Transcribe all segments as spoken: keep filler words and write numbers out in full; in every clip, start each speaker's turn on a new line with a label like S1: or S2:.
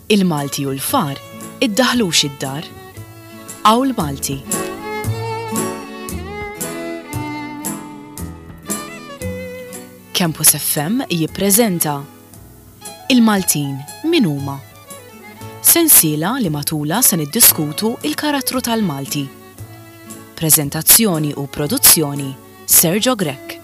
S1: Il-Malti u l-far iddaħlux id-dar. Awl Malti. Campus F M jippreżenta Il-Maltin min huma? Sensiela li matula se niddiskutu il-karattru tal-Malti. Preżentazzjoni u produzzjoni Sergio Grech.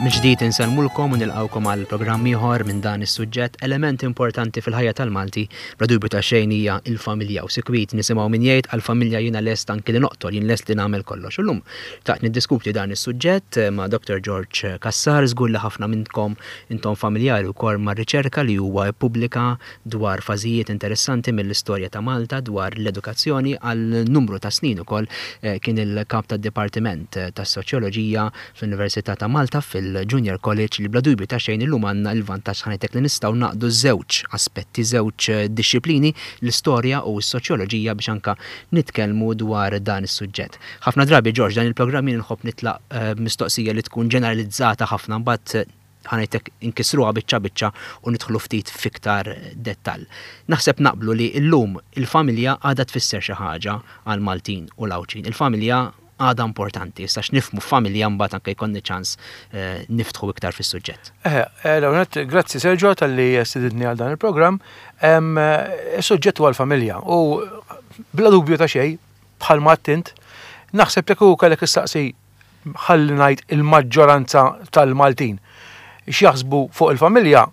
S2: Mill-ġdid insellmulkom u nilqgħukom għal programm ieħor minn dan is-suġġett. Element importanti fil-ħajja tal-Malti bla dubju ta' xejn hija l-familja, u sikwit nisimgħu min jgħid għall-familja jiena lest anki li noqtol, jien lest li nagħmel kollox. U llum taqt niddiskuti dan is-suġġett ma' Doktor George Cassar. Żgur li ħafna minnkom intom familjari wkoll mar-riċerka li huwa ppubblika dwar fażijiet interessanti mill-istorja ta' Malta dwar l-edukazzjoni għal numru ta' snin ukoll, eh, kien il-kap tad-Dipartiment tas-Soċjoloġija fl-Università ta' Malta fil Junior College, li bla dubju ta' xejn illum għandna l-vantaġġ ħanejtek li nistgħu naqdu żewġ aspetti, żewġ dixxiplini, l-istorja u s-soċjoloġija, biex anka nitkellmu dwar dan is-suġġett. Ħafna drabi, George, dan il-programm jien nħobb nitlaq, eh, mistoqsija li tkun ġeneralizzata ħafna, mbagħad ħanejtek inkisruha biċċa biċċa u nidħlu ftit fiktar dettall. Naħseb naqblu li llum il-familja għadha tfisser xi ħaġa għall-Maltin u l-Għawdxin. Il-familja għadha importanti, issa x'nifhmu f'familja mbagħad anke jkollni ċans, eh, niftħu iktar fis-suġġett.
S3: Eh, eh, L-ewwel, grazzi Sergio talli stedidni għal dan il-programm. Em, eh, is-suġġett huwa l-familja u bla dubju ta' xejn, bħalma għedt int, naħseb li kieku kellek issaqsi ħalli ngħid il-maġġoranza tal-Maltin x'jaħsbu fuq il-familja,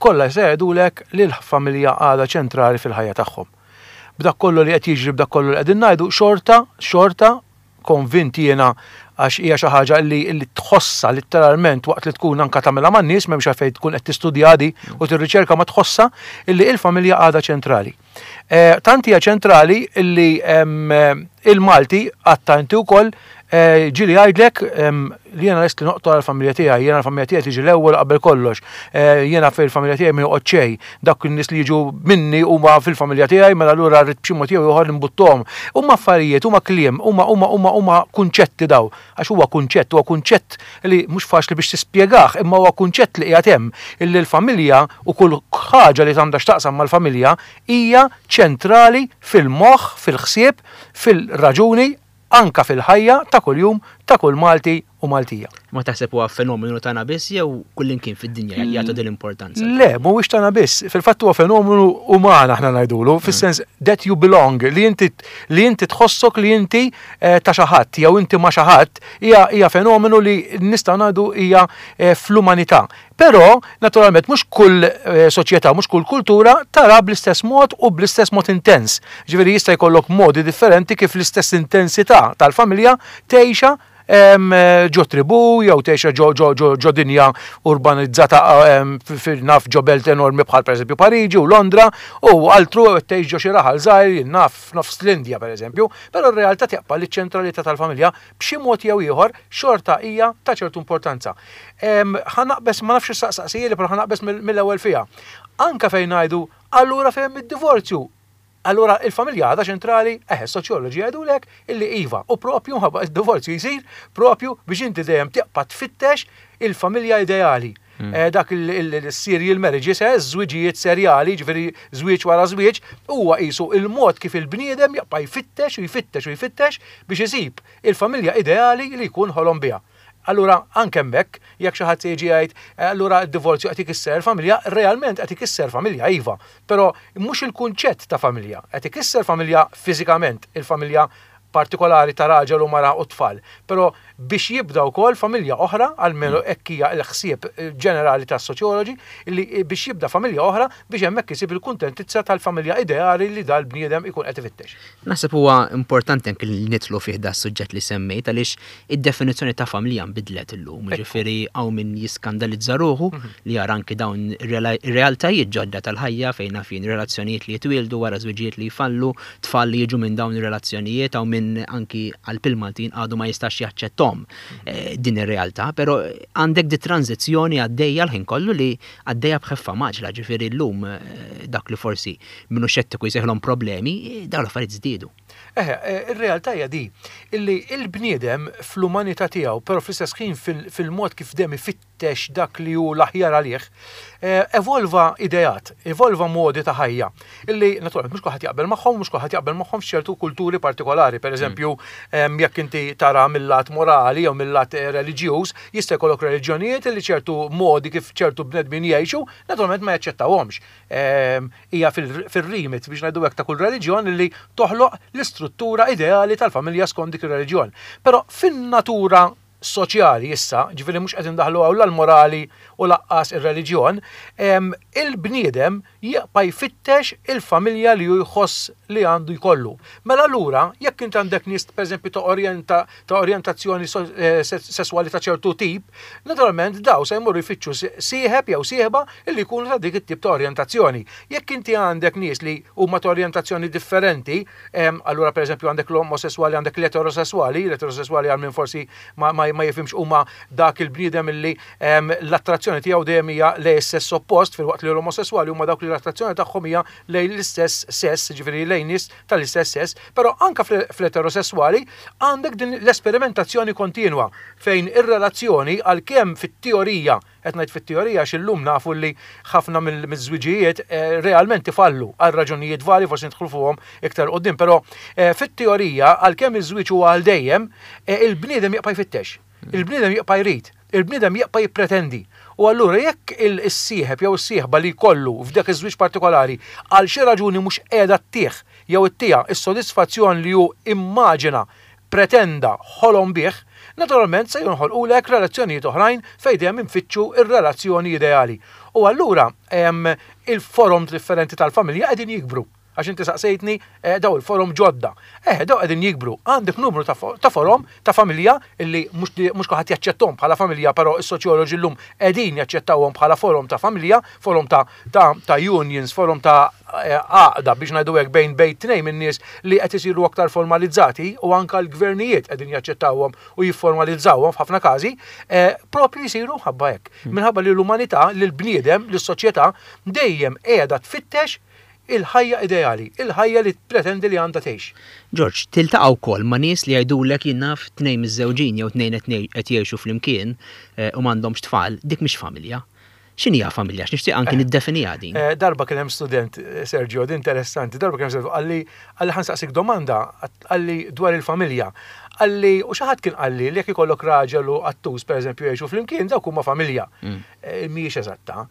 S3: kollha se jgħidulek li l-familja għadha ċentrali fil-ħajja tagħhom. B'dak kollu li qed jiġri, b'dak kollu li qegħdin ngħidu, xorta, xorta konvinti jiena, għax hija xi ħaġa li, li tħossha letteralment waqt li tkun anka tagħmilha man-nies, m'hemmx għalfejn tkun qed tistudja di u tirriċerka, ma tħossha illi il-familja għadha ċentrali. Eh, tant hija ċentrali illi, em, il-Malti għatta inti wkoll, eh, ġieli jgħidlek, em, li jiena lest li noqtol għall-familja tiegħi, jiena l-familja tiegħi tiġi l-ewwel qabel kollox. Eh, jiena fil-familja tiegħi ma joqgħod xejn, dak in-nies li jiġu minni huma fil-familja tiegħi, mela allura rrid b'xi mod jew ieħor nbuttuhom. Huma affarijiet, huma kliem, huma, huma, huma, huma kunċetti daw, għax huwa kunċett, huwa kunċett li mhux faċli biex tispjegah, imma huwa kunċett li qiegħed hemm, illi l-familja u kull ħaġa li għandha x'taqsam mal-familja hija ċentrali fil-moħħ, fil-ħsieb, fil-raġuni, anka fil-ħajja ta' kuljum ta' kull Malti u Maltija.
S2: Ma taħseb huwa fenomenu tagħna biss jew kullimkien fid-dinja jagħtu din l-importanza?
S3: Le, mhuwiex tagħna biss. Fil-fatt huwa fenomenu uman aħna ngħidulu, fis-sens that you belong, li inti, li inti tħossok li inti, eh, ta' xi ħadd jew inti ma' xi ħadd, hija, hija fenomenu li nistgħu ngħidu hija, eh, fl-umanità. Però, naturalment, mhux kull, eh, soċjetà, mhux kull kultura tara bl-istess mod u bl-istess mod intens. Ġifieri jista' jkollok modi differenti kif l-istess intensità tal-familja tgħixha, em, ġo tribu jew tgħixha ġo, ġo, ġo, ġo dinja urbanizzata, em, f-, f-, naf ġo belt enormi bħal pereżempju Pariġi u Londra, u altru tgħix ġo xi raħal żgħir naf nofs l-Indja pereżempju, però r-realtà tibqa' li ċ-ċentralità tal-familja b'xi mod jew ieħor xorta hija ta' ċertu importanza. Em, ħa naqbeż, ma nafx issaqsaqsija, però ħa naqbeż mill-, mill-ewwel fiha. Anka fejn ngħidu allura fejn id-divorzju, allura il-familja għadha ċentrali, eh, soċjoloġi jgħidulek illi iva, u propju mħabba id-divorzju jsir propju biex inti dejjem tibqa' tfittex il-familja ideali.
S2: Mm.
S3: Eh, dak il-, il-, il-serial marriages, eh, żwiġijiet serjali, ġifieri żwieġ wara żwieġ, huwa qisu il-mod kif il-bniedem jibqa' jfittex u jfittex u jfittex biex isib il-familja ideali li jkun ħolom biha. Allura, anke hemmhekk, jekk xi ħadd se jiġi jgħid, eh, allura d-divorzju qed ikisser familja, realment qed ikisser familja, iva, però mhux il-kunċett ta' familja, qed ikisser familja fiżikament, il-familja partikolari ta' raġel u mara u tfal, però biex jibda wkoll familja oħra, almenu
S2: Mm.
S3: hekk hija l-ħsieb ġenerali tas-soċjoloġi, li biex jibda familja oħra biex hemmhekk isib il-kuntentizza tal-familja ideali li dal-bniedem ikun qed ifittex.
S2: Naħseb huwa importanti anke li nidħlu fih da s-suġġett li semmejt, għaliex id-definizzjoni ta' familja nbidlet illum,
S3: Ekku.
S2: jiġifieri hawn min jiskandalizza ruħu
S3: Mhm.
S2: li jara anke dawn ir-realtajiet ġodda tal-ħajja fejn naf jien relazzjonijiet li jitwieldu wara żwiġijiet li jfallu, tfal li jiġu minn dawn ir-relazzjonijiet, hawn min anki għal pil-Maltin għadu ma jistax jaċċettom, eh, din ir-realtà, però għandek di tranzizzjoni għaddejja l-ħin kollu li għaddejja b'ħeffa maġla, ġifieri llum, eh, dak li forsi minnu xettiku jsejħilhom problemi, eh, dawn l-affarijiet żdiedu.
S3: Eħe, eh, ir-realtà hija di, illi il-bniedem fl-umanità tiegħu, però fl-istess ħin fil-, fil-mod kif dejjem ifitt-, ifittex dak li hu l-aħjar għalih, evolva ideat, evolva modi ta' ħajja, illi naturalment mhux kulħadd jaqbel magħhom, mhux kulħadd jaqbel magħhom f'ċertu kulturi partikolari. Per eżempju, jekk inti tara mill-lat morali jew mill-lat reliġjuż, jista' jkollok reliġjonijiet illi ċertu modi kif ċertu bnedmin jgħixu, naturalment ma jaċċettawhomx. Hija fil-rimit biex ngħidu hekk ta' kull reliġjon illi toħloq l-istruttura ideali tal-familja skont dik ir-reliġjon. Però fin-natura soċjali issa, ġifieri mhux qed indaħlu hawn l-morali u laqqas ir-reliġjon, il-bniedem jibqa' jfittex il-familja li hu jħoss li għandu jkollu. Mela allura, jekk int għandek nies pereżempju ta' orjenta ta' orjentazzjoni sesswali ta' ċertu tip, naturalment daw se jmorru jfittxu sieħeb jew sieħba illi jkunu ta' dik it-tip ta' orjentazzjoni. Jekk inti għandek nies li huma ta' orjentazzjoni differenti, allura pereżempju għandek l-omosessuali, għandek l-eterosessuali, l-eterosessuali għal min forsi ma, ma, ma jifhimx huma dak il-bniedem illi l-attrazzjoni tiegħu dejjem hija lejn is-sess oppost, filwaqt li l-omosessuali huma dawk li l-attrazzjoni tagħhom hija lejn l-istess sess, ġifieri lejn nies tal-istess sess, però anka fl-eterosessuali għandek din l-esperimentazzjoni kontinwa fejn ir-relazzjoni għalkemm fit-teorija, qed ngħid fit-teorija għax illum nafu li ħafna mill-żwiġijiet realment ifallu għal raġunijiet varji, forsi nidħlu fuqhom iktar quddiem, però fit-teorija għalkemm iż-żwieġ huwa għal dejjem, il-bniedem jibqa' jfittex, il-bniedem jibqa' jrid, il-bniedem jibqa' jippretendi. U allura jekk il-sieħeb jew is-sieħba li jkollu f'dak iż-żwieġ partikolari għal xi raġuni mhux qiegħda ttih jew ittieha is-sodisfazzjon li hu immaġina, pretenda, ħolom bih, naturalment se jinħolqulek relazzjonijiet oħrajn fejn dejjem infittxu ir-relazzjoni ideali. U allura il-forom differenti tal-familja qegħdin jikbru. Għax inti saqsejtni daw il-forom ġodda. Eh, daw qegħdin jikbru. Għandek numru ta' forom ta' familja illi mhux kulħadd jaċċettahom bħala familja, però is-soċjoloġi llum qegħdin jaċċettawhom bħala forom ta' familja, forom ta' ta' unions, forom ta' għaqda biex ngħidu hekk bejn bejn tnejn minn nies li qed isiru aktar formalizzati, u anka l-gvernijiet qegħdin jaċċettawhom u jifformalizzawhom f'ħafna każi, propju jsiru minħabba hekk. Minħabba li l-umanità, li l-bniedem, li s-soċjetà dejjem qiegħda tfittex il-ħajja ideali, il-ħajja li pretendi li għandha tgħix.
S2: George, tiltaqa' wkoll ma' nies li jgħidulek jien naf tnejn miż-żewġin jew tnejn qed jgħixu flimkien u m'għandhomx tfal, dik mhix familja. X'inhi hija familja? X'nixtieq anki niddefiniha din.
S3: Darba kien hemm student, Sergio, din interessanti, darba kien hemm student qalli qalli ħa nsaqsik domanda, qalli dwar il-familja. Qalli, u xi ħadd kien qalli li jekk ikollok raġel u qattus pereżempju jgħixu flimkien, dawk huma familja. Mhijiex eżatta.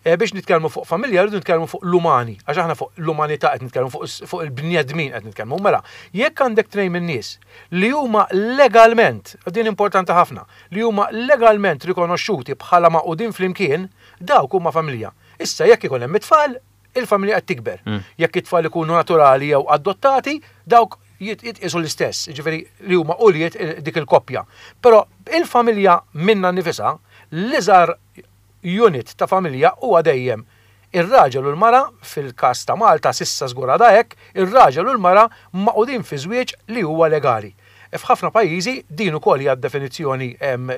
S3: Biex nitkellmu fuq familja rridu nitkellmu fuq l-umani, għax aħna fuq l-umanità qed nitkellmu, fuq il-bniedmin qed nitkellmu. Mela, jekk għandek tnejn min-nies li huma legalment, din importanti ħafna, li huma legalment rikonoxxuti bħala magħqudin flimkien, dawk huma familja. Issa jekk ikun hemm it-tfal, il-familja qed tikber. Jekk it-tfal ikunu naturali jew adottati, dawk jitqisu l-istess, ġifieri li huma ulied dik il-koppja. Però il-familja minna nifisha, l-iżgħar unit ta' familja huwa dejjem ir-raġel u l-mara, fil-każ ta' Malta sissa żgur għadha hekk, ir-raġel u l-mara magħqudin fi żwieġ li huwa legali. F'ħafna pajjiżi din ukoll hija definizzjoni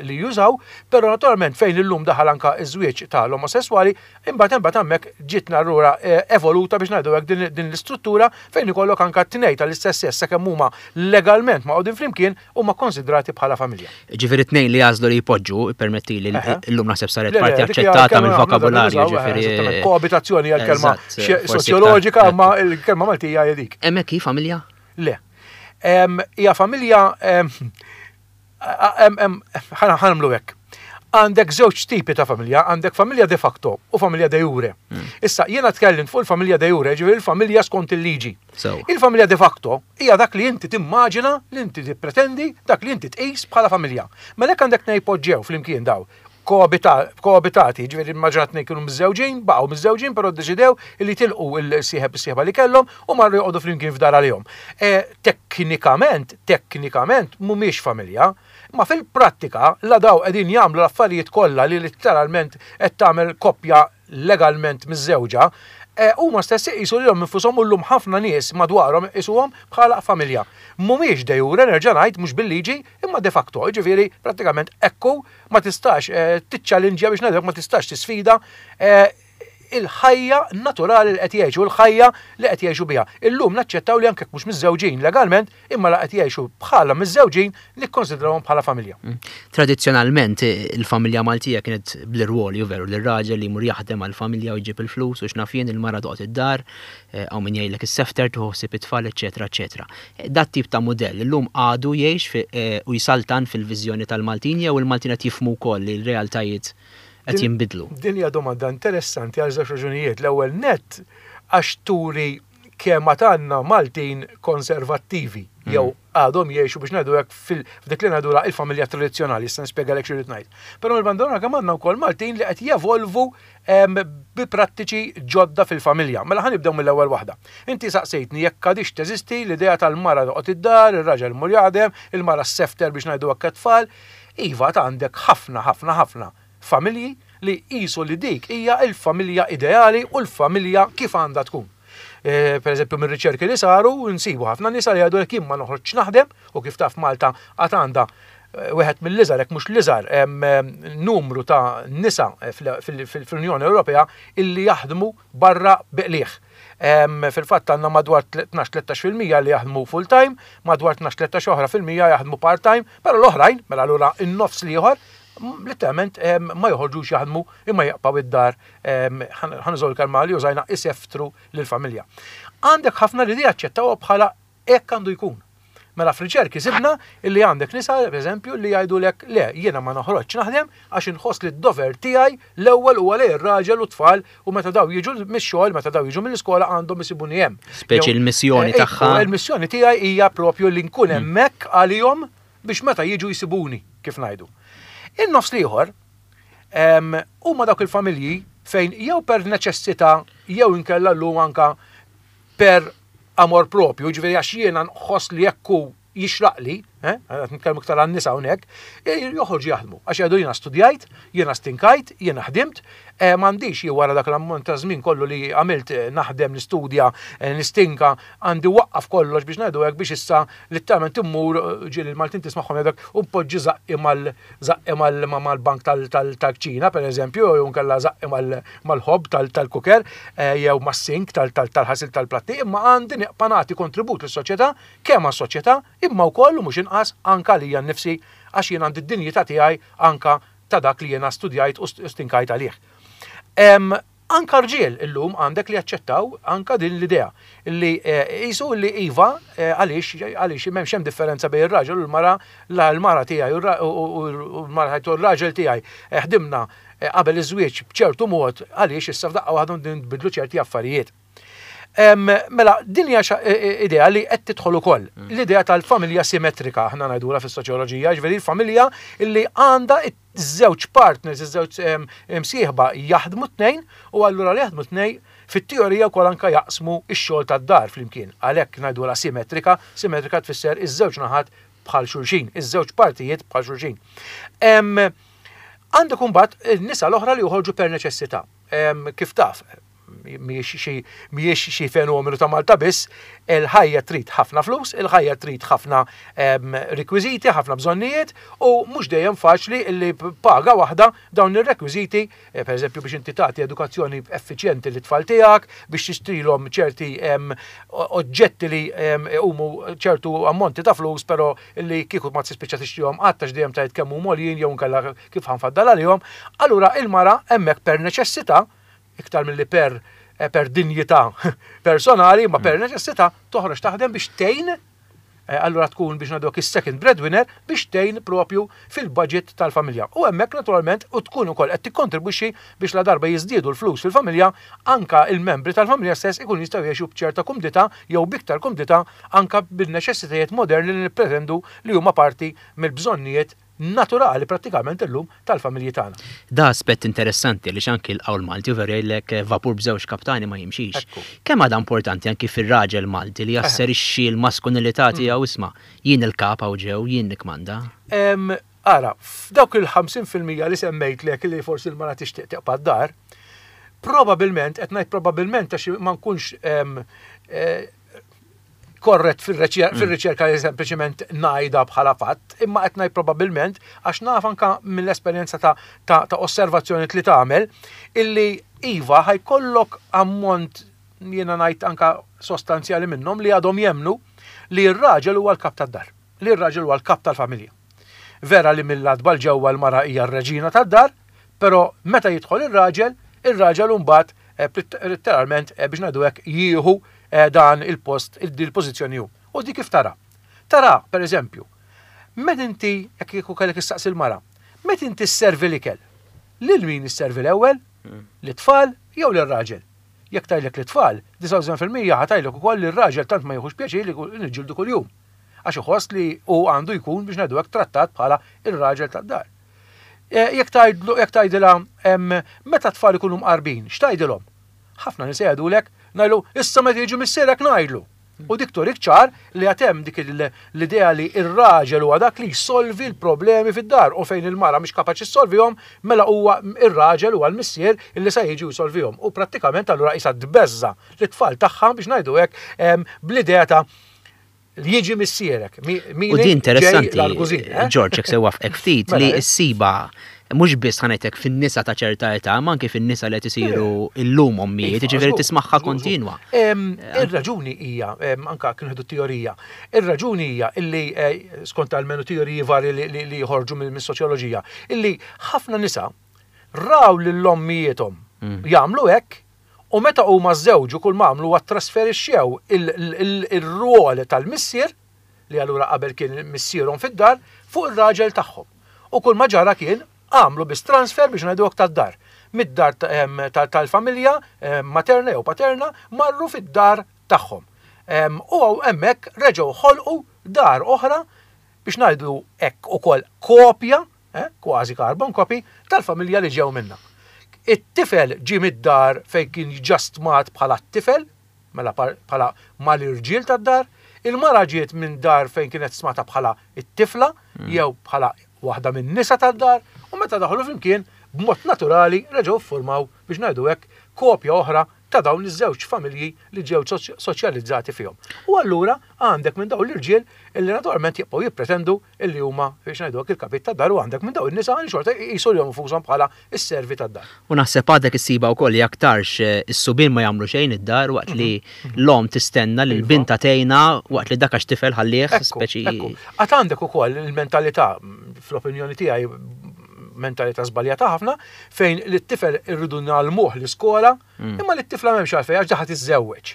S3: li jużaw, però naturalment fejn illum daħal anka ż-żwieġ tal-omosessuali, imbagħad imbagħad hemmhekk ġietna allura evoluta biex ngħidu hekk din l-istruttura fejn ikollok anka tnejn tal-istess sess sakemm huma legalment magħqudin flimkien huma konsidrati bħala familja.
S2: Ġifieri tnejn li jagħżlu li jpoġġu, ippermettili llum naħseb saret parti aċċettata mill-vokabularju, ġifieri.
S3: Koabitazzjoni hija l-kelma soċjoloġika, ma l-kelma Maltija hija dik.
S2: Hemmhekk hi familja?
S3: Le. Hija familja, ħa nagħmlu hekk. Għandek żewġ tipi ta' familja, għandek familja de facto u familja de jure. Issa, jiena tkellimt fuq il-familja de jure, ġifieri il-familja skont il-liġi. Il-familja de facto hija dak li inti timmaġina, li inti tippretendi, dak li inti tqis bħala familja. Mela jekk għandek tnejn poġġew flimkien daw, koabitati, ġifieri immaġina tnejn kienu miżżewġin, baqgħu miżżewġin, però ddeċidew li tilqu il-sieħeb is-sieħba li kellhom u marru joqogħdu flimkien f'dar għalihom. Teknikament, teknikament mhumiex familja, ma fil-prattika la daw qegħdin jagħmlu l-affarijiet kollha li letteralment qed tagħmel koppja legalment miżżewġa, huma stess iqisu lilhom infushom u llum ħafna nies madwarhom iqisuhom bħala familja. Mhumiex de jure, nerġa' ngħid, mhux bil-liġi, imma de facto, jiġifieri prattikament ekku ma tistax tiċċallinġja biex ngħidlek, ma tistax tisfida il-ħajja naturali li qed jgħixu, il-ħajja li qed jgħixu biha. Illum naċċettaw li anke mhux miżżewġin legalment, imma la qed jgħixu bħala miżżewġin, nikkonsidrawhom bħala familja.
S2: Mm. Tradizzjonalment il-familja Maltija kienet bl-irwoli, veru, l-raġel li jmur jaħdem għal-familja u jġib il-flus u x'naf jien, il-mara toqgħod id-dar, hawn min jgħidlek is-sefter tieħu ħsieb it-tfal, eċetera, eċetera. Dat tip ta' mudell illum għadu jgħix eh, u jsaltan fil-viżjoni tal-Maltin jew il-Maltin qed jifhmu wkoll li l-realtajiet qed jinbidlu?
S3: Din hija domanda interessanti għal żewġ raġunijiet. L-ewwel net għax turi kemm għandna Maltin konservattivi mm. jew għadhom jgħixu, biex ngħidu hekk, f'dik li ngħidu il-familja tradizzjonali, issa nispjegalek xi ngħid. Però mill-banda kemm għandna wkoll Maltin li qed jevolvu bi prattiċi ġodda fil-familja. Mela ħa nibdew mill-ewwel waħda. Inti saqsejtni jekk għadix teżisti l-idea tal-mara toqgħod id-dar, ir-raġel mur jaħdem, il-mara s-sefter, biex ngħidu hekk, tfal. Iva, ta' għandek ħafna, ħafna, ħafna familji li qisu li dik hija il-familja ideali u l-familja kif għandha tkun. E, per eżempju, minn riċerki li saru, nsibu ħafna nisa li jgħidu li ma noħroġ naħdem, u kif taf Malta għad għandha e, wieħed mill-iżgħar, jekk mhux l-iżgħar, numru ta' nisa fl-Unjoni Ewropea illi jaħdmu barra bi qligħ. Fil-fatt għandna madwar tnax-tlettax fil-mija li jaħdmu full-time, madwar tnax-tlettax oħra fil-mija jaħdmu part-time, però l-oħrajn, mela allura in-nofs l-ieħor, letteralment ma joħorġux jaħdmu imma jaqpaw id-dar, ħa nużaw il-kelma li użajna, iseftru lill-familja. Għandek ħafna li jaċċettaw bħala hekk għandu jkun. Mela f'riċerki sibna illi għandek nisa, per eżempju, li jgħidu lek: "Le, jiena ma noħroġ naħdem għax inħoss li d-dover tiegħi l-ewwel huwa lejn ir-raġel u tfal u meta daw jiġu mix-xogħol, meta daw jiġu mill-iskola, għandhom isibuni hemm."
S2: Speċi l-missjoni eh, tagħha.
S3: Il-missjoni tiegħi hija propju li nkun hmm. hemmhekk għalihom biex meta jiġu jisibuni, kif ngħidu. In-nofs l-ieħor huma dawk il-familji fejn jew per neċessità jew inkella llum anka per amor propju, ġifieri għax jiena nħoss li jekku jixraqli, eh, qed nitkellmu iktar għan-nisa hawnhekk, eh, joħorġu jaħdmu. Għax jgħidu: "Jiena studjajt, jiena stinkajt, jiena ħdimt, eh, m'għandix jien wara dak l-ammont ta' żmien kollu li għamilt naħdem, nistudja, nistinka, għandi waqqaf kollox, biex ngħidu hekk, biex issa letteralment immur", ġieli il-Maltin tismagħhom jgħiduk, "u npoġġi żaqqi mal żaqqi mal-bank tal-kċina, per eżempju, jew nkella żaqqi mal-hob tal-cooker, jew mas-sink tal-ħasil tal-platti, imma għandi nibqa' nagħti kontribut lis-soċjetà, kemm għas-soċjetà imma wkoll mhux inqas anka lija nnifsi, għax jien għandi d-dinjità tiegħi anka ta' dak li jiena studjajt u stinkajt għalih." Anka rġiel illum għandek li jaċċettaw anka din l-idea li jisu li iva, eh, għaliex għaliex m'hemmx hemm differenza bejn ir-raġel u l-mara, la l-mara tiegħi u l-mara u r-raġel tiegħi eh, ħdimna eh, qabel iż-żwieġ b'ċertu mod, għaliex issa f'daqqa waħda nbidlu ċerti affarijiet? Mela, din hija idea li qed tidħol ukoll. Mm. L-idea tal-familja simmetrika, aħna ngħidula fis-soċjoloġija, ġifieri l-familja li għandha iż-żewġ partners, iż-żewġ msieħba jaħdmu tnejn, u allura li jaħdmu tnejn fit-teorija wkoll anka jaqsmu x-xogħol tad-dar flimkien. Għalhekk ngħidula simmetrika, simmetrika tfisser iż-żewġ naħat bħal xulxin, iż-żewġ partijiet bħal xulxin. Għandek imbagħad in-nisa l-oħra li joħorġu per neċessità. Kif taf, mhijiex xi fenomenu ta' Malta biss, il-ħajja trid ħafna flus, il-ħajja trid ħafna rekwiżiti, ħafna bżonnijiet, u mhux dejjem faċli li paga waħda dawn ir-rekwiżiti, eh, per eżempju biex inti tagħti edukazzjoni effiċjenti lit-tfal tiegħek, biex tixtrilhom ċerti oġġetti li huma ċertu ammonti ta' flus, però li kieku ma tispiċċa tixtrihom qatt għax dejjem tgħid kemm huma għoljin jew nkella kif ħa nfaddal għalihom. Allura il-mara hemmhekk per neċessità, iktar milli per eh, per dinjità personali, ma per neċessità toħroġ taħdem biex tgħin, eh, allura tkun, biex ngħidu, is-second breadwinner biex tgħin propju fil-budget tal-familja. U hemmhekk naturalment u tkun ukoll qed tikkontribwixxi biex la darba jiżdiedu l-flus fil-familja, anka il-membri tal-familja stess ikun jistgħu jgħixu b'ċerta kumdità jew biktar kumdità, anka bil-neċessitajiet moderni li nippretendu li huma parti mill-bżonnijiet naturali prattikament illum tal-familji tagħna.
S2: Da aspett interessanti li anki l-qawl Malti u veru jgħidlek eh, vapur b'żewġ kaptani ma jimxix. Kemm għadha importanti anki fir-raġel Malti li jasserixxi l-maskulinità mm. tiegħu, isma', jien il-kap hawn ġew, jien nikmanda?
S3: Ara, f'dawk il-ħamsin fil-mija li semmejt lek li forsi l-mara tixtieq teqpa' d-dar, probabilment, qed ngħid probabilment għax ma nkunx eh, korret fil-riċerka li sempliċement ngħidha bħala fatt, imma qed ngħid probabbilment għax naf anka mill-esperjenza ta', ta, ta osservazzjoni li tagħmel illi Iva, ħa jkollok ammont, jiena ngħid anka sostanzjali minnhom li għadhom jemmnu li r-raġel huwa l-kap tad-dar, li r-raġel huwa l-kap tal-familja. Vera li mill-għatba 'l ġewwa l-mara hija r-reġina tad-dar, però meta jidħol ir-raġel, ir-raġel mbagħad eh, letteralment eh, biex ngħidu hekk jieħu eh, dan il-post, il-pożizzjoni hu. U di kif tara? Tara, per eżempju, meta inti, jekk kieku kellek issaqsi l-mara, meta inti sservi l-ikel, lil min isservi l-ewwel? L-tfal jew lir-raġel? Jekk tgħidlek l-tfal, disgħa u disgħin fil-mija ħa tgħidlek ukoll li r-raġel tant ma jieħux pjaċir li niġġieldu kuljum. Għax iħoss li hu għandu jkun biex ngħidu hekk trattat bħala ir-raġel tad-dar. E, jekk tgħidlu jekk tgħidilha meta tfal ikunu mqarbin, x'tgħidilhom? Ħafna nisa jgħidulek, ngħidu issa meta jiġi missierek ngħidlu. U dik turik ċar li għad hemm dik l-idea li ir-raġel huwa dak li jsolvi l-problemi fid-dar u fejn il-mara mhix kapaċi ssolvihom, mela huwa ir-raġel, huwa l-missier illi se jiġi jsolvihom. U prattikament allura qisha tbeżża' lit-tfal tagħha biex ngħidu hekk bl-idea ta' li jiġi missierek.
S2: U di interessanti, eh? George, jekk se waqfek ftit, li mela, ssiba mhux biss ħa ngħidlek fin-nisa ta' ċerta età, ma anke fin-nisa li qed isiru illum ommijiet, iva, jiġifieri tismagħha kontinwa.
S3: Ir-raġuni hija, anka kien teorija, ir-raġuni hija illi eh, skont almenu teoriji vari li jħorġu mill-soċjoloġija, illi ħafna nisa raw lill-ommijiethom mm. jagħmlu hekk u meta huma żewġu kull ma għamlu trasferixxew il-rwol tal-missier, li allura qabel kien missierhom fid-dar, fuq ir-raġel tagħhom. U kull ma ġara kien għamlu biss transfer biex ngħidu tad-dar. Mid-dar tal-familja materna jew paterna marru fid-dar tagħhom. U hemmhekk reġgħu ħolqu dar oħra biex ngħidu hekk ukoll kopja, eh, kważi carbon copy tal-familja li ġew minna. It-tifel ġi mid-dar fejn kien stmat bħala t-tifel, mela bħala mal-irġiel tad-dar, il-mara ġiet minn dar fejn kienet stmata bħala it-tifla mm. jew bħala waħda minn nisa tad-dar, u meta daħlu flimkien b'mod naturali reġgħu ffurmaw biex ngħidu hekk kopja oħra ta' dawn iż-żewġ familji li ġew soċjalizzati fihom. U allura għandek minn dawn l-irġiel illi naturalment jibqgħu jippretendu illi huma biex ngħidu hekk il-kapit tad-dar u għandek minn dawn in-nisa li xorta jqisu lilhom infushom bħala s-servi tad-dar.
S2: U naħseb għadek issiba wkoll li aktarx eh, is-subien ma jagħmlu xejn id-dar waqt li mhm. l-om tistenna li l-binta tgħinha, waqt li dak għax tifel ħallih
S3: speċi. Għad għandek ukoll il-mentalità, fl-opinjoni tiegħi mentalità żbaljata ħafna, fejn li t-tifel irridu ngħallmuh l-iskola, mm. imma li t-tifla m'hemmx għalfejn għax ħa tiżżewweġ.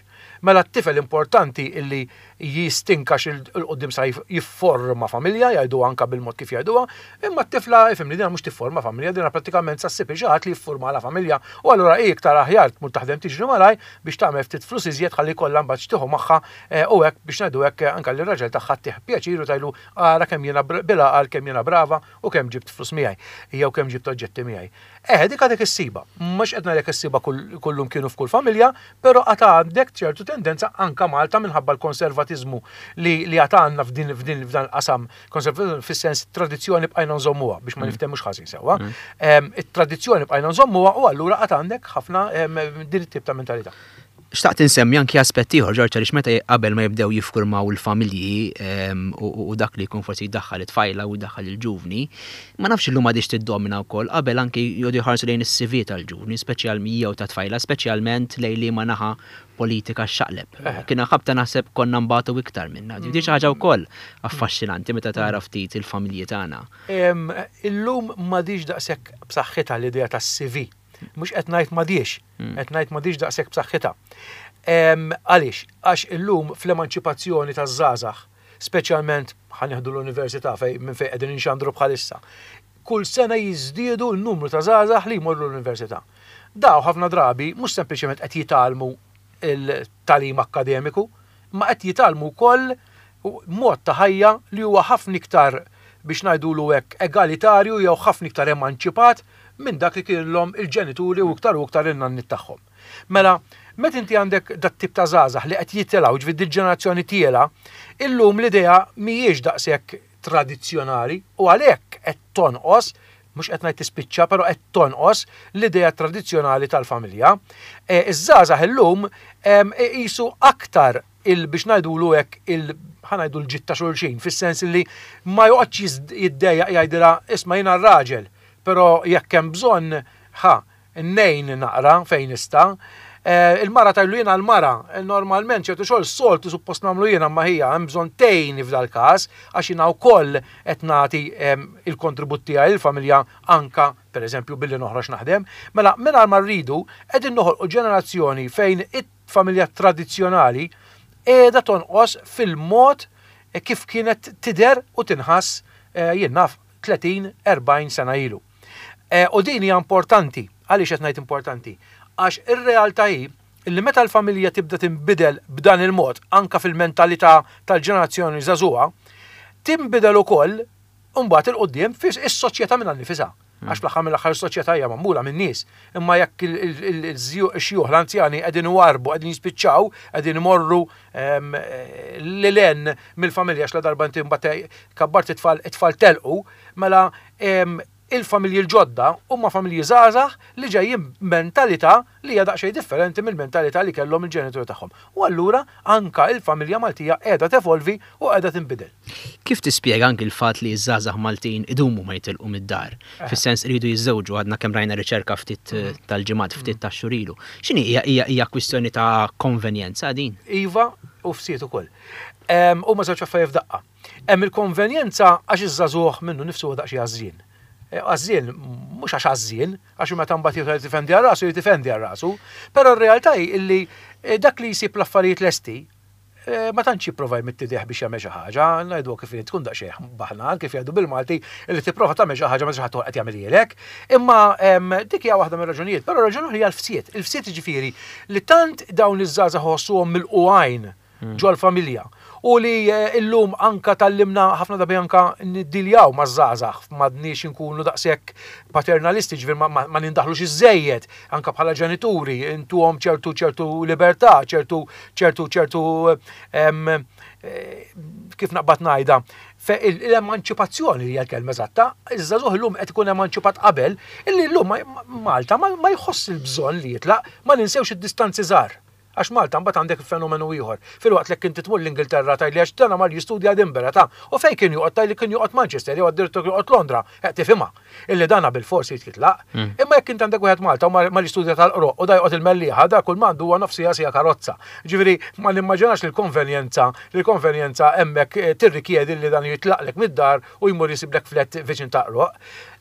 S3: Mela t-tifel importanti illi jistinka 'l quddiem sa jifforma familja, jgħidu anka bil-mod kif jgħiduha, imma t-tifla, ifhimni, dina mhux tifforma familja, dina prattikament sa ssib xi ħadd li jifforma la familja. U allura hi iktar aħjar tmur taħdem, tiġri malaj biex tagħmel ftit flus iżjed ħalli kollha mbagħad x'tieħu magħha eh, u hekk biex ngħidu hekk anka li raġel tagħha ttih pjaċir u tgħidlu ara kemm jiena bil-għaqal, kemm jiena brava u kemm ġibt flus miegħi jew kemm ġibt oġġetti miegħi. Eh, dik għadek issiba. Mhux qed ngħidlek issiba kullum kienu f'kull familja, però għad għandek ċertu tendenza anka Malta minħabba l-konservatiżmu li li għad għandna f'din f'din f'dan il-qasam, konservatiżmu fis-sens tradizzjoni bqajna nżommuha biex ma mm. niftehmux ħażin sewwa. Mm. It-tradizzjoni bqajna nżommuha u allura għad għandek ħafna din it-tip ta' mentalità.
S2: Xtaqt insemmi anki aspetti ieħor, Ġorġ, għaliex meta qabel ma jibdew jiffurmaw il-familji u dak li jkun forsi jdaħħal it-tfajla u jdaħħal il-ġuvni, ma nafx illum għadix tiddomina wkoll, qabel anki joqogħdu jħarsu lejn is-C V tal-ġuvni, speċjalment jew ta' tfajla, speċjalment lejn li ma naħa politika xaqleb. Eh. Kien ħabta naħseb konna nbatu iktar minna. Di xi ħaġa wkoll affaxxinanti meta tara ftit il-familji tagħna.
S3: Illum m'għadix daqshekk b'saħħitha l-idea tas-C V. Mhux qed ngħid m'għadix, hmm. qed ngħid m'għadix daqshekk b'saħħitha. Għaliex? Għax illum fl-emanċipazzjoni taż-żgħażagħ, speċjalment ħa nieħdu l-università fej minn fejn qegħdin inxandru bħalissa, kull sena jiżdiedu n-numru ta' żgħażagħ li jmorru l-università. Daw ħafna drabi mhux sempliċement qed jitgħallmu il-tagħlim akkademiku, ma qed jitgħallmu wkoll mod ta' ħajja li huwa ħafna iktar biex ngħidulu hekk egalitarju jew ħafna iktar emanċipat minn dak li kienlhom il-ġenituri u iktar u iktar in-nanniet tagħhom. Mela, meta inti għandek dat tip ta' żgħażagħ li qed jitilgħu, ġifieri ġenerazzjoni tiela, illum l-idea mhijiex daqshekk tradizzjonali u għalhekk qed tonqos, mhux qed ngħid tispiċċa, però qed tonqos l-idea tradizzjonali tal-familja. E, iż-żgħażagħ illum qisu aktar il biex ngħidulu hekk il ħa ngħidu l-ġid ta' xulxin, fis-sens li ma joqgħodx jiddejjaq jgħidilha isma' jiena r-raġel, però jekk hemm bżonn ħa Ngħin naqra fejn nista'. Eh, il-mara tgħidlu jiena l-mara, normalment ċertu xogħol soltu suppost nagħmlu jiena, ma hija hemm bżonn tgħinni f'dal-każ għax jiena wkoll qed nagħti il-kontribut tiegħi il-familja anka pereżempju billi noħroġ naħdem. Mela mingħajr ma rridu qegħdin noħolqu ġenerazzjoni fejn it-familja tradizzjonali qiegħda tonqos fil-mod kif kienet tidher u tinħass eh, jien naf tletin erbgħin sena ilu. Eh, u din hija importanti. Għaliex qed ngħid importanti? Għax ir-realtà hi li meta l-familja tibda tinbidel b'dan il-mod, anka fil-mentalità tal-ġenerazzjoni żagħżugħa, tinbidel ukoll mbagħad 'il quddiem fis-soċjetà minnha nnifisha. Għax fl-aħħar mill-aħħar is-soċjetà hija magħmula min-nies. Imma jekk il-xjuħ, l-anzjani qegħdin iwarbu, qegħdin jispiċċaw, qegħdin imorru lil hinn mill-familja għax la darba inti mbagħad kabbart it-tfal, it-tfal telqu, mela il-familji l-ġodda huma familji żgħażagħ li ġejjin mentalità li hija daqsxejn differenti mill-mentalità li kellhom il-ġenituri tagħhom. U allura anka il-familja Maltija qiegħda tevolvi u qiegħda tinbidel.
S2: Kif tispjega anki l-fatt li ż-żgħażagħ Maltin idumu ma jitilqu mid-dar? Fis-sens iridu jiżżewġu, għadna kemm rajna riċerka ftit tal-ġimgħat, ftit tax-xhur ilu. X'inhi hija, hija, hija kwistjoni ta' konvenjenza din?
S3: Iva, u fsiet ukoll. Huma żewġ affarijiet f'daqqa. Hemm il-konvenjenza għax iż-żagħżugħ minnu nifsu huwa daqsxejn għażżien. Għażżien, mhux għax għażżien, għax meta mbagħad jieħu jitifendi għal rasu, jitifendi għal rasu, però r-realtà hi illi dak li jsib l-affarijiet lesti, ma tantx jipprova jmidd idejh biex jagħmel xi ħaġa, ngħidu kif tkun daqsxejn baħnan, kif jgħidu bil-Malti, illi tipprova tagħmel xi ħaġa ma xi ħadd qed jagħmilhielek. Imma dik hija waħda mir-raġunijiet, però raġuni oħra hija l-fsied. Il-fsied jiġifieri li tant dawn iż-żgħażagħ ħossuhom mill-qugħajn ġol-familja. U li illum anka tallimna ħafna drabi anka niddiljaw maż-żgħażagħ, m'għadniex inkunu daqshekk paternalisti, ġifieri ma, ma, ma nindaħlux iżżejjed, anka bħala ġenituri, intuhom ċertu, ċertu libertà, ċertu, ċertu, ċertu, em, eh, kif naqbad ngħidha, fe il-, l-emanċipazzjoni li hija l-kelma eżatta, iż-żagħżugħ illum qed ikun emanċipat qabel, illi llum ma-, Malta ma, ma jħoss il-bżonn li jitlaq, ma ninsewx id-distanzi żgħar. Għax Malta mbagħad għandek fenomenu ieħor. Filwaqt li inti tmur l-Ingilterra tgħidli għax dana mar jistudja Edinburgh ta' u fejn kien joqgħod tgħidli kien joqgħod Manchester jew addirittura kien joqgħod Londra, qed tifhimha. Illi dana bil-forsi jitlaq.
S2: Mm.
S3: Imma jekk inti għandek wieħed Malta u mar jistudja tal-Qroqq u da joqgħod il-Mellieħa, da kull m'għandu huwa nofs siegħa sija karozza. Ġifieri ma nimmaġinax li l-konvenjenza, li l-konvenjenza hemmhekk, eh, tirrikjedi li dan jitlaqlek mid-dar u jmur jisiblek flet viċin ta' Qroqq.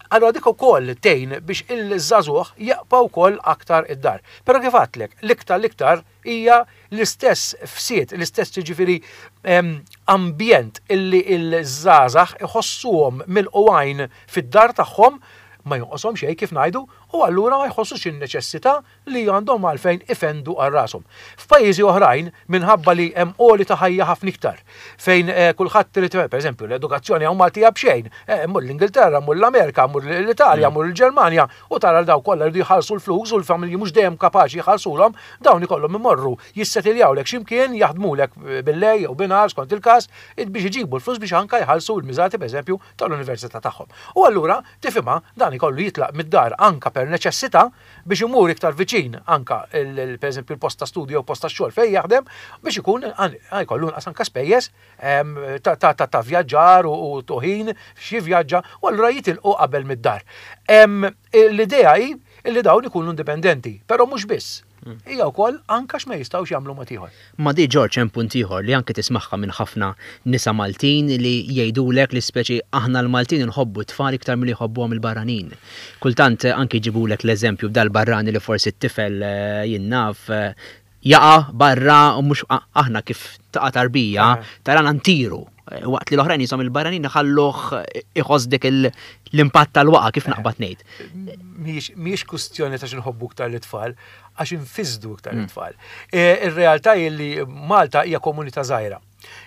S3: Allora dik ukoll tgħin biex il-żagħżugħ jaqpa' wkoll aktar id-dar. Però kif għedtlek, l-iktar l-iktar hija l-istess fsied, l-istess jiġifieri, em, ambjent illi l-żgħażagħ iħossuhom mill-qwajn fid-dar tagħhom, ma jonqoshom xejn kif ngħidu, u allura ma jħossux in-neċessità li għandhom għalfejn ifendu għal rashom. F'pajjiżi oħrajn, minħabba li hemm għoli ta' ħajja ħafna iktar, fejn, eh, kulħadd irid, pereżempju, l-edukazzjoni hawn Maltija b'xejn, eh, mur l-Ingilterra, mur l-Amerika, mur l-Italja, mur l-Ġermanja, u tara l daw kollha jridu jħallsu l-flus u l-familji mhux dejjem kapaċi jħallsulhom, dawn ikollhom imorru jissettiljawlek x'imkien, jaħdmulek bil-lejl jew binhar skont il-każ, biex iġibu l-flus biex anke jħallsu l-miżati pereżempju tal-università tagħhom. U allura tifhimha dan ikollu jitlaq mid-dar anka per neċessità biex imur iktar viċin anka il-, il-, pereżempju l-post ta' studju jew post ta' xogħol fejn jaħdem biex ikun għan-, jkollu inqas anka spejjeż, em, ta', ta', ta', ta' vjaġġar u, u toħin xi vjaġġa u allura jitilqu qabel mid-dar. Em, l-idea hi li dawn ikunu indipendenti, però mhux biss. Hija wkoll anke x'ma jistgħux jagħmlu mod ieħor.
S2: Ma di George hemm punt ieħor li anke tismagħha minn ħafna nisa Maltin li jgħidulek li speċi aħna l-Maltin inħobbu t-tfal iktar milli jħobbuhom il-barranin. Kultant anke jġibulek l-eżempju b'dal-barrani li forsi t-tifel, eh, jien naf, eh, jaqa' barra u mhux a-, aħna kif taqa' tarbija,
S3: Eh.
S2: tarana ntiru. Eh, waqt li l-oħrajn jisom il-barranin iħalluh iħoss dik il-, l-impatt tal-waqa kif naqbad ngħid.
S3: Mhijiex, mhijiex kwistjoni ta' x'inħobbu iktar l-itfal, għax infisdu iktar l-itfal. E, ir-realtà hi li Malta hija komunità żgħira.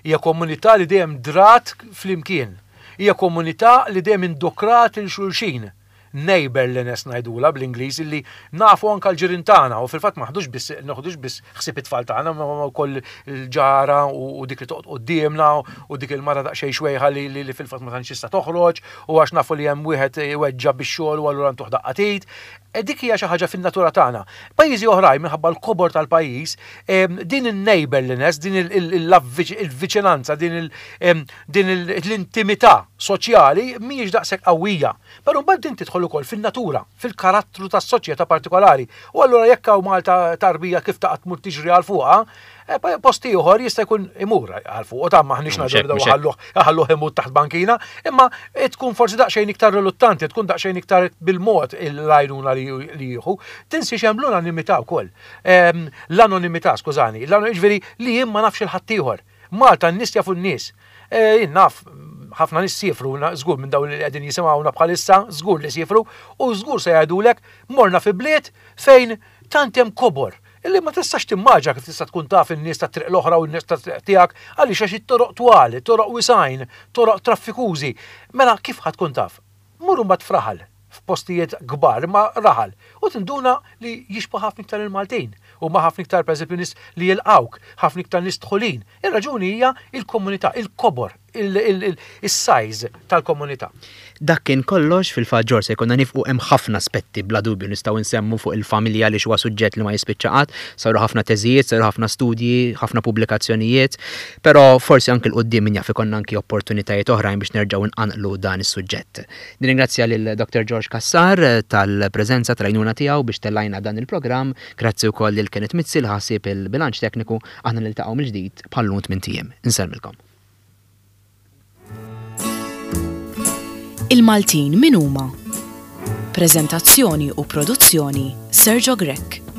S3: Hija komunità li dejjem drat flimkien. Hija komunità li dejjem indokrat il xulxin. Neighborliness ngħidula bl-Ingliż illi nafu anka l-ġirien tagħna u fil-fatt ma ħdux biss, noħdux biss ħsieb it-tfal tagħna, ma ma wkoll il-ġara u, u dik li toqgħod quddiemna u dik il-mara daqsxejn xwejħa li, li, li fil-fatt ma tantx tista' toħroġ u għax nafu li hemm wieħed iweġġa bix-xogħol u allura ntuh daqqa t'id. E dik hija xi ħaġa fin-natura tagħna. Pajjiżi oħrajn minħabba l-kobor tal-pajjiż, em, din in-neighborliness, din il-, il-, il-, il-viċinanza, din il-, em, din il-, l-intimità soċjali mhijiex daqshekk qawwija. Però mbagħad din tidħol tidħol ukoll fin-natura, fil-karattru tas-soċjetà partikolari. U allura jekk hawn Malta tarbija kif taqgħod tmur tiġri għal fuqha, eh, post ieħor jista' jkun imur għal fuq, ta' maħniex ngħidu ħalluh ħalluh imut taħt bankina, imma tkun forsi daqsxejn iktar riluttanti, tkun daqsxejn iktar bil-mod l-għajnuna li jieħu. Tinsiex hemm l-unanimità wkoll. Ehm, l-anonimità, skużani, ġifieri li jien ma nafx il-ħaddieħor. Malta n-nies jafu n-nies. Eh, jien naf ħafna nies siefru, żgur minn dawn li qegħdin jisimgħuna bħalissa, żgur li siefru, u żgur se jgħidulek morna fi bliet fejn tant hemm kobor illi ma tistax timmaġina kif tista' tkun taf in-nies ta' triq l-oħra u n-nies ta' triq tiegħek għaliex għax it-toroq twal, toroq wisgħin, toroq traffikużi. Mela kif ħa tkun taf? Mur mbagħad f'raħal, f'postijiet kbar ma raħal u tinduna li jixbhu ħafna iktar il-Maltin u ma ħafna iktar pereżempju nies li jilqawk, ħafna iktar nies dħulin. Ir-raġuni hija il-komunità, il-kobor, il-size tal-komunità.
S2: Dak kien kollox. Fil-fatt George se jkollna nieqfu. Hemm ħafna aspetti bla dubju nistgħu nsemmu fuq il-familja li huwa suġġett li ma jispiċċa qatt, saru ħafna teżijiet, saru ħafna studji, ħafna pubblikazzjonijiet, però forsi anke 'l quddiem min jaf ikollna anki opportunitajiet oħrajn biex nerġgħu nqanqlu dan is-suġġett. Nirringrazzja lil Doctor George Cassar tal-preżenza, tal-għajnuna tiegħu biex tellajna dan il-programm, grazzi wkoll lil Kenneth Mizzi li ħasib il-bilanċ tekniku. Aħna niltaqgħu mill-ġdid bħal-lum tmint ijiem. Insellmilkom.
S1: Il-Maltin min huma? Prezentazzjoni u produzzjoni Sergio Grech.